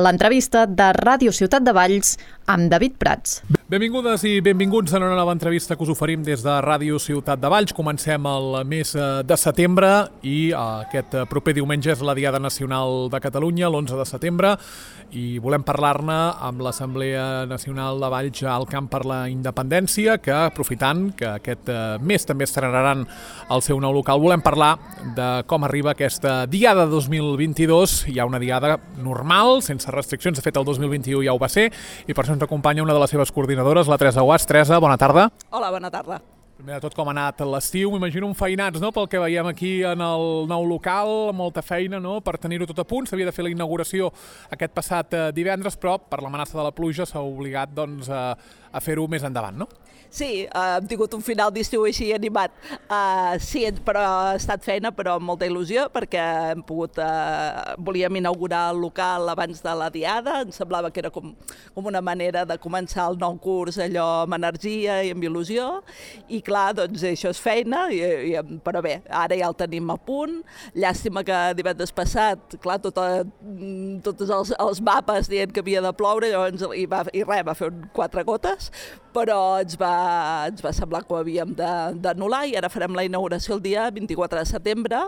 l'entrevista de Ràdio Ciutat de Valls amb David Prats. Benvingudes i benvinguts a una nova entrevista que us oferim des de Ràdio Ciutat de Valls. Comencem el mes de setembre i aquest proper diumenge és la Diada Nacional de Catalunya, l'11 de setembre, i volem parlar-ne amb l'Assemblea Nacional de Valls al Camp per la Independència, que aprofitant que aquest mes també estrenaran el seu nou local, volem parlar de com arriba aquesta Diada 2022. Hi ha una Diada normal, sense restriccions, de fet el 2021 ja ho va ser, i per això ens acompanya una de les seves coordinadores, la Teresa Guas. Teresa, bona tarda. Hola, bona tarda. Primer de tot, com ha anat l'estiu? M'imagino enfeinats, no?, pel que veiem aquí en el nou local, molta feina, no?, per tenir-ho tot a punt. S'havia de fer la inauguració aquest passat divendres, però per l'amenaça de la pluja s'ha obligat, doncs, a fer-ho més endavant, no? Sí, hem tingut un final d'estiu així animat. Sí, però ha estat feina, però amb molta il·lusió, perquè hem pogut... volíem inaugurar el local abans de la Diada, ens semblava que era com una manera de començar el nou curs allò amb energia i amb il·lusió, i clar, doncs això és feina, però bé, ara ja el tenim a punt. Llàstima que divendres passat, clar, tots els mapes dient que havia de ploure, llavors, va fer 4 gotes, però ens va semblar que ho havíem d'anul·lar, i ara farem la inauguració el dia 24 de setembre,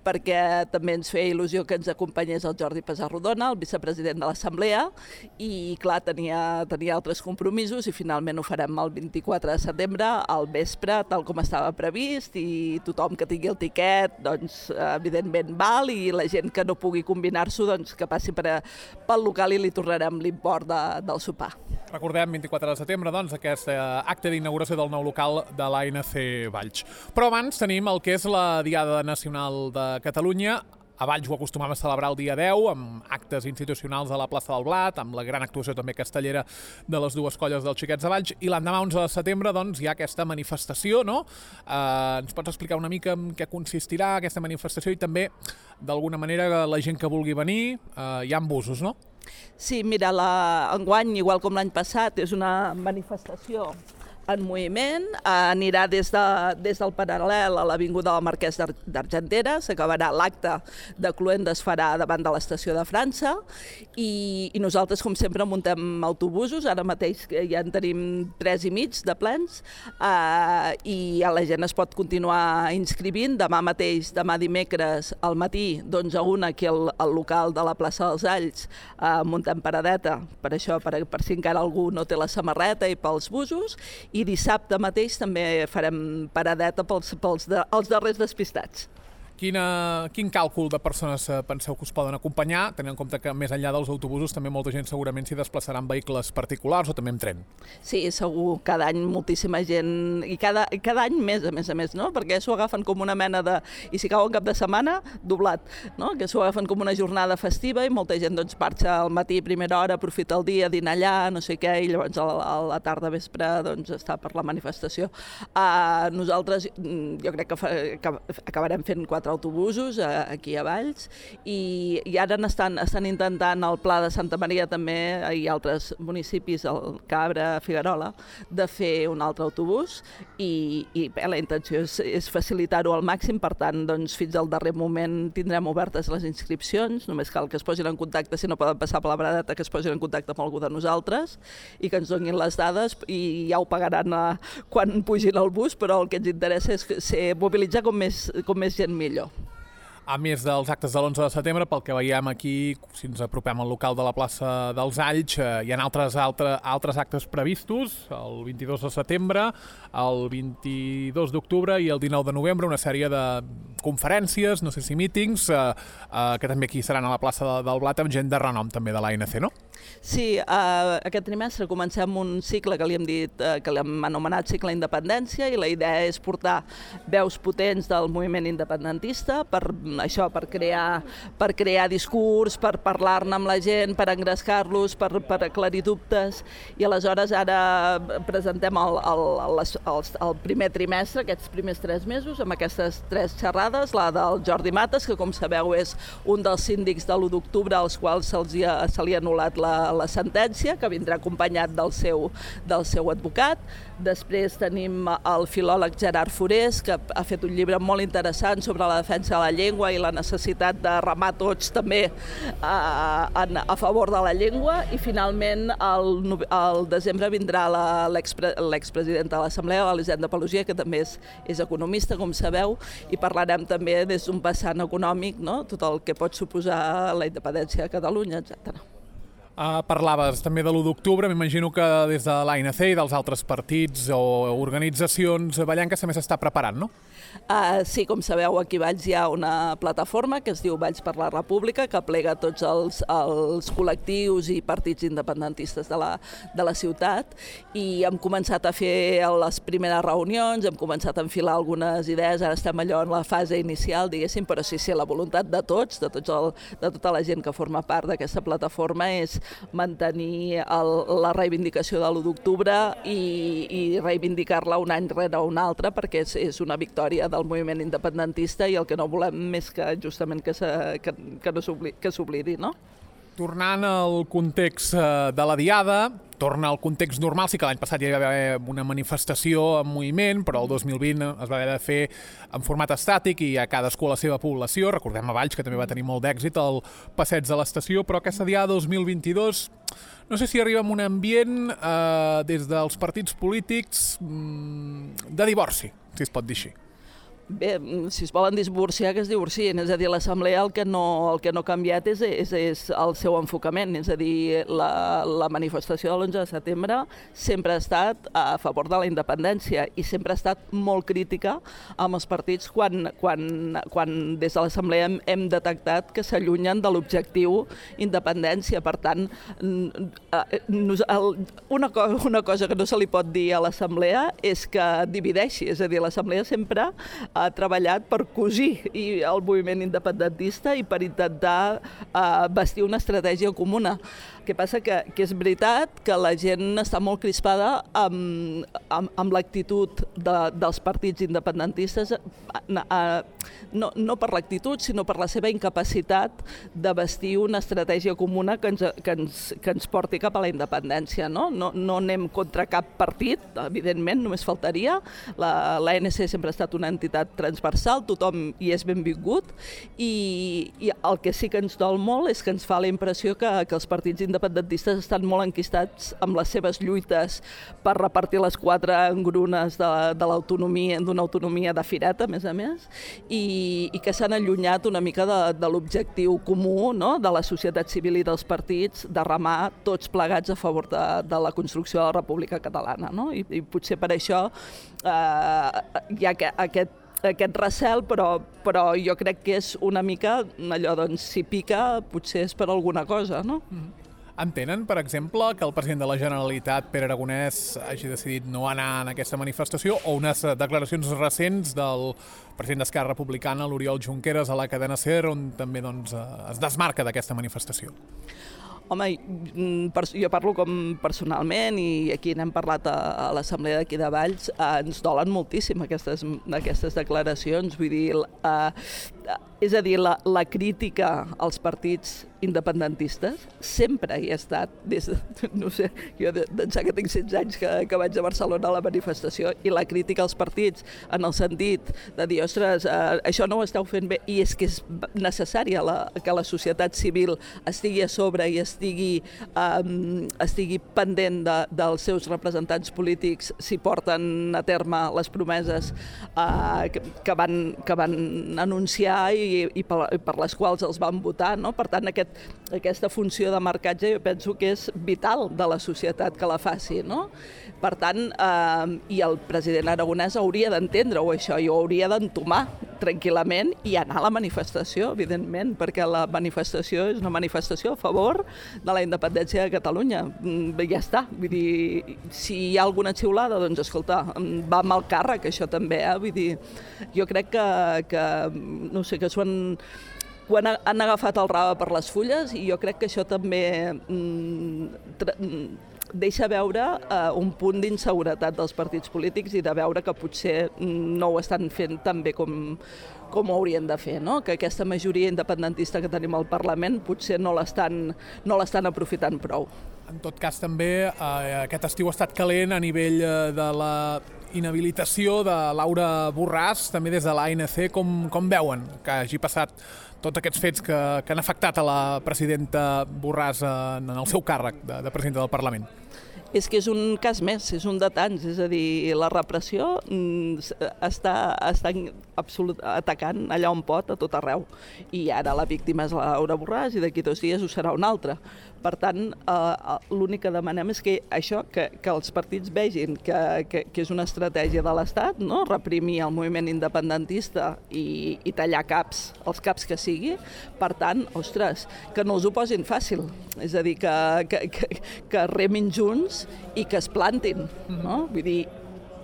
perquè també ens feia il·lusió que ens acompanyés el Jordi Pessarrodona, el vicepresident de l'Assemblea, i clar, tenia altres compromisos, i finalment ho farem el 24 de setembre, al vespre, tal com estava previst, i tothom que tingui el tiquet, doncs, evidentment val, i la gent que no pugui combinar-s'ho, doncs, que passi pel local i li tornarem l'import del sopar. Recordem, 24 de setembre, doncs, aquest acte d'inauguració del nou local de l'ANC Valls. Però abans tenim el que és la Diada Nacional de Catalunya. A Valls ho acostumam a celebrar el dia 10, amb actes institucionals a la plaça del Blat, amb la gran actuació també castellera de les dues colles dels Xiquets de Valls, i l'endemà 11 de setembre, doncs, hi ha aquesta manifestació, no? Ens pots explicar una mica en què consistirà aquesta manifestació i també, d'alguna manera, la gent que vulgui venir, hi ha busos, no? Sí, mira, enguany, igual com l'any passat, és una manifestació en moviment, anirà des del Paral·lel a l'Avinguda del Marquès d'Argentera, s'acabarà l'acte de Cluenda, es farà davant de l'estació de França, i nosaltres, com sempre, muntem autobusos, ara mateix ja en tenim 3 i mig de plens, i la gent es pot continuar inscrivint. Demà dimecres, al matí, d'11 a 1, aquí al local de la plaça dels Alls, muntem paradeta, per això, per si encara algú no té la samarreta, i pels busos, i dissabte mateix també farem paradeta pels darrers despistats. Quin càlcul de persones penseu que us poden acompanyar, tenint en compte que més enllà dels autobusos també molta gent segurament s'hi desplaçarà en vehicles particulars o també en tren? Sí, segur, cada any moltíssima gent, i cada any més, a més, no? Perquè s'ho agafen com una mena de... I si cau en cap de setmana, doblat, no? Que s'ho agafen com una jornada festiva i molta gent doncs marxa al matí, primera hora, aprofita el dia, dina allà, no sé què, i llavors a la tarda, vespre, doncs està per la manifestació. Nosaltres, jo crec que acabarem fent 4 autobusos aquí a Valls, i ara estan intentant al Pla de Santa Maria també, i altres municipis, el Cabra, Figuerola, de fer un altre autobús, i la intenció és facilitar-ho al màxim. Per tant, doncs, fins al darrer moment tindrem obertes les inscripcions, només cal que es posin en contacte, si no poden passar per la paradeta, que es posin en contacte amb algú de nosaltres i que ens donin les dades, i ja ho pagaran quan pugin al bus, però el que ens interessa és mobilitzar com més gent millor. A més dels actes de l'11 de setembre, pel que veiem aquí, si ens apropem al local de la plaça dels Alls, hi ha altres actes previstos, el 22 de setembre, el 22 d'octubre i el 19 de novembre, una sèrie de conferències, no sé si mítings, que també aquí seran a la plaça del Blat, amb gent de renom també de l'ANC, no? Sí, aquest trimestre comencem un cicle que li hem dit, que l'hem anomenat Cicle Independència, i la idea és portar veus potents del moviment independentista per crear discurs, per parlar-ne amb la gent, per engrescar-los, per aclarir dubtes, i aleshores ara presentem el primer trimestre, aquests primers 3 mesos, amb aquestes 3 xerrades, la del Jordi Mates, que com sabeu és un dels síndics de l'1 d'octubre als quals se li ha anul·lat la la sentència, que vindrà acompanyat del seu advocat. Després tenim el filòleg Gerard Forés, que ha fet un llibre molt interessant sobre la defensa de la llengua i la necessitat de remar tots també a favor de la llengua. I finalment al desembre vindrà l'expresidenta de l'Assemblea, l'Elisenda Paluzie, que també és economista, com sabeu, i parlarem també des d'un vessant econòmic, no? Tot el que pot suposar la independència de Catalunya, etc. Parlaves també de l'1 d'octubre, m'imagino que des de l'ANC i dels altres partits o organitzacions ballenques també s'està preparant, no? Sí, com sabeu, aquí a Valls hi ha una plataforma que es diu Valls per la República, que plega tots els col·lectius i partits independentistes de la ciutat, i hem començat a fer les primeres reunions, hem començat a enfilar algunes idees, ara estem allò en la fase inicial, diguéssim, però sí, la voluntat de tots, de tota la gent que forma part d'aquesta plataforma és mantenir la reivindicació de l'1 d'octubre i reivindicar-la un any rere un altre, perquè és una victòria del moviment independentista i el que no volem és que justament que s'oblidi, no? Tornant al context de la Diada, torna al context normal, sí que l'any passat hi va haver una manifestació en moviment, però el 2020 es va haver de fer en format estàtic i a cadascú a la seva població. Recordem a Valls, que també va tenir molt d'èxit el passeig de l'estació, però aquesta Diada 2022 no sé si arriba en un ambient des dels partits polítics de divorci, si es pot dir així. Bé, si es volen divorciar, que es divorcien. És a dir, l'Assemblea el que no ha canviat és el seu enfocament. És a dir, la manifestació de l'11 de setembre sempre ha estat a favor de la independència i sempre ha estat molt crítica amb els partits quan des de l'Assemblea hem detectat que s'allunyen de l'objectiu independència. Per tant, una cosa que no se li pot dir a l'Assemblea és que divideixi. És a dir, l'Assemblea sempre ha treballat per cosir el moviment independentista i per intentar bastir una estratègia comuna. El que passa que és veritat que la gent està molt crispada amb l'actitud dels partits independentistes, no per l'actitud, sinó per la seva incapacitat de bastir una estratègia comuna que ens porti cap a la independència. No anem contra cap partit, evidentment, només faltaria. L'ANC sempre ha estat una entitat transversal, tothom hi és benvingut, i el que sí que ens dol molt és que ens fa la impressió que els partits independentistes estan molt enquistats amb les seves lluites per repartir les 4 engrunes de l'autonomia, d'una autonomia de fireta, a més, i que s'han allunyat una mica de l'objectiu comú, no?, de la societat civil i dels partits, de remar tots plegats a favor de la construcció de la República Catalana. No? I potser per això hi ha aquest recel, però jo crec que és una mica allò, doncs, si pica, potser és per alguna cosa, no? Entenen, per exemple, que el president de la Generalitat, Pere Aragonès, hagi decidit no anar en aquesta manifestació, o unes declaracions recents del president d'Esquerra Republicana, l'Oriol Junqueras, a la cadena SER, on també es desmarca d'aquesta manifestació? Home, jo parlo com personalment, i aquí n'hem parlat a l'Assemblea d'aquí de Valls, ens dolen moltíssim aquestes declaracions. Vull dir, és a dir, la crítica als partits independentistes sempre hi ha estat, des de, no sé, jo d'ençà que tinc 16 anys que vaig a Barcelona a la manifestació, i la crítica als partits en el sentit de dir, ostres, això no ho esteu fent bé, i és que és necessària que la societat civil estigui a sobre i estigui pendent dels seus representants polítics si porten a terme les promeses que van anunciar i per les quals els van votar, no? Per tant, aquesta funció de marcatge jo penso que és vital de la societat que la faci, no? Per tant, i el president Aragonès hauria d'entendre-ho això, i ho hauria d'entomar tranquil·lament i anar a la manifestació, evidentment, perquè la manifestació és una manifestació a favor de la independència de Catalunya. Ja està, vull dir, si hi ha alguna xiulada, doncs escolta, va amb el càrrec, això també, vull dir, jo crec que no sé, que quan han agafat el rave per les fulles, i jo crec que això també deixa veure un punt d'inseguretat dels partits polítics i de veure que potser no ho estan fent tan bé com ho haurien de fer, no? Que aquesta majoria independentista que tenim al Parlament potser no l'estan aprofitant prou. En tot cas, també aquest estiu ha estat calent a nivell de la inhabilitació de Laura Borràs, també des de l'ANC. Com veuen que hagi passat tots aquests fets que han afectat a la presidenta Borràs en el seu càrrec de presidenta del Parlament? És que és un cas més, és un de tants, és a dir, la repressió està atacant allà on pot, a tot arreu. I ara la víctima és la Laura Borràs i d'aquí 2 dies ho serà una altra. Per tant, l'únic que demanem és que això, que els partits vegin que és una estratègia de l'Estat, no? Reprimir el moviment independentista i tallar caps, els caps que sigui. Per tant, ostres, que no els ho posin fàcil. És a dir, que remin junts i que es plantin, no? Vull dir,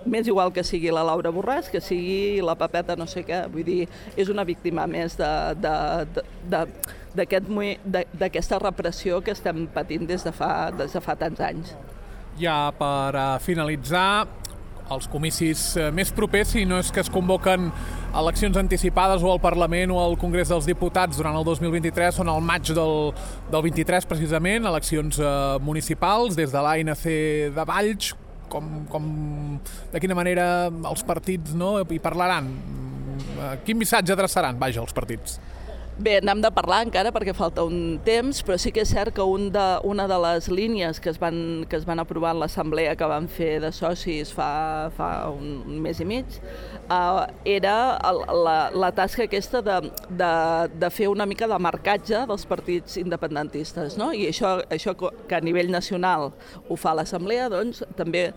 m'és igual que sigui la Laura Borràs, que sigui la Pepeta no sé què, vull dir, és una víctima més d'aquesta repressió que estem patint des de fa tants anys. Ja per finalitzar, els comicis més propers, si no és que es convoquen eleccions anticipades o al Parlament o al Congrés dels Diputats durant el 2023, són al maig del 23 precisament, eleccions municipals des de l'ANC de Valls. De quina manera els partits hi parlaran? Quin missatge adreçaran, vaja, els partits? Bé, n'hem de parlar encara perquè falta un temps, però sí que és cert que una de les línies que es van aprovar en l'assemblea que van fer de socis fa un mes i mig era la tasca aquesta de fer una mica de marcatge dels partits independentistes, no? I això que a nivell nacional ho fa l'assemblea, doncs també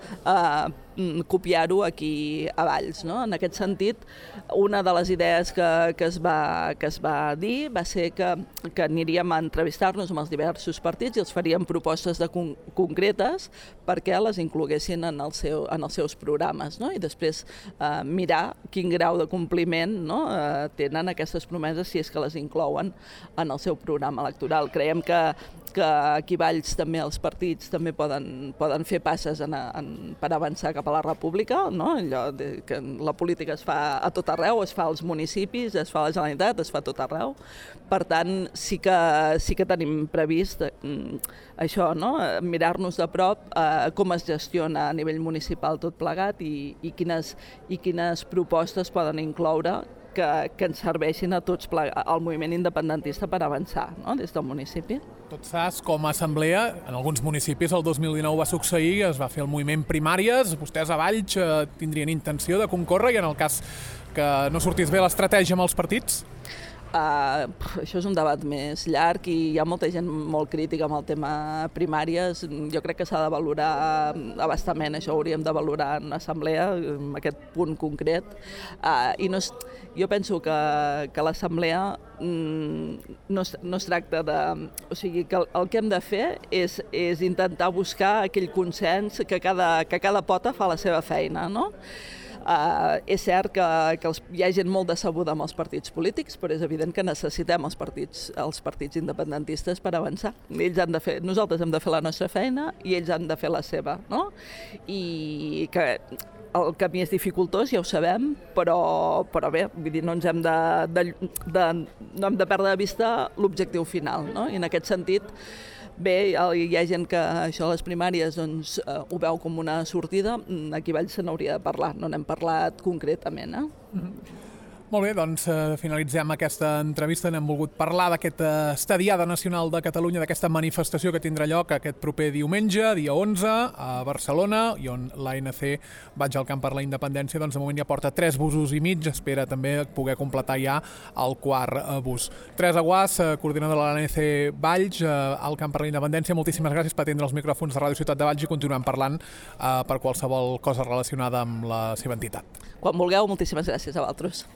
copiar-ho aquí a Valls, no? En aquest sentit, una de les idees que es va dir va ser que aniríem a entrevistar-nos amb els diversos partits i els faríem propostes concretes perquè les incloguessin en els seus programes, no? I després mirar quin grau de compliment, no? Tenen aquestes promeses si és que les inclouen en el seu programa electoral. Creiem que aquí a Valls també els partits també poden fer passes per avançar cap a la república, no? Allò que la política es fa a tot arreu, es fa als municipis, es fa a la Generalitat, es fa a tot arreu. Per tant, sí que tenim previst això, no? Mirar-nos de prop com es gestiona a nivell municipal tot plegat i quines propostes poden incloure que ens serveixin a tots al moviment independentista per avançar, no? Des del municipi. Tot saps, com a assemblea, en alguns municipis el 2019 va succeir, es va fer el moviment primàries, vostès a Valls tindrien intenció de concórrer i en el cas que no sortís bé l'estratègia amb els partits? Això és un debat més llarg i hi ha molta gent molt crítica amb el tema primàries. Jo crec que s'ha de valorar abastament, això ho hauríem de valorar en l'assemblea, en aquest punt concret. Jo penso que l'assemblea no es tracta de... O sigui, que el que hem de fer és intentar buscar aquell consens que cada pota fa la seva feina, no? És cert que hi ha gent molt decebuda amb els partits polítics, però és evident que necessitem els partits independentistes per avançar. Nosaltres hem de fer la nostra feina i ells han de fer la seva, no? I que el camí és dificultós, ja ho sabem, però bé, vull dir, no hem de perdre de vista l'objectiu final, no? I en aquest sentit, bé, hi ha gent que això de les primàries doncs, ho veu com una sortida. Aquí a Valls se n'hauria de parlar, no n'hem parlat concretament. Molt bé, doncs finalitzem aquesta entrevista. N'hem volgut parlar d'aquesta Estadiada Nacional de Catalunya, d'aquesta manifestació que tindrà lloc aquest proper diumenge, dia 11, a Barcelona, i on l'ANC Vaig al Camp per la Independència, doncs de moment ja porta 3 busos i mig, espera també poder completar ja el 4 bus. Teresa Guàs, coordinadora de l'ANC Valls, al Camp per la Independència, moltíssimes gràcies per atendre els micròfons de Ràdio Ciutat de Valls i continuem parlant per qualsevol cosa relacionada amb la seva entitat. Quan vulgueu, moltíssimes gràcies a vosaltres.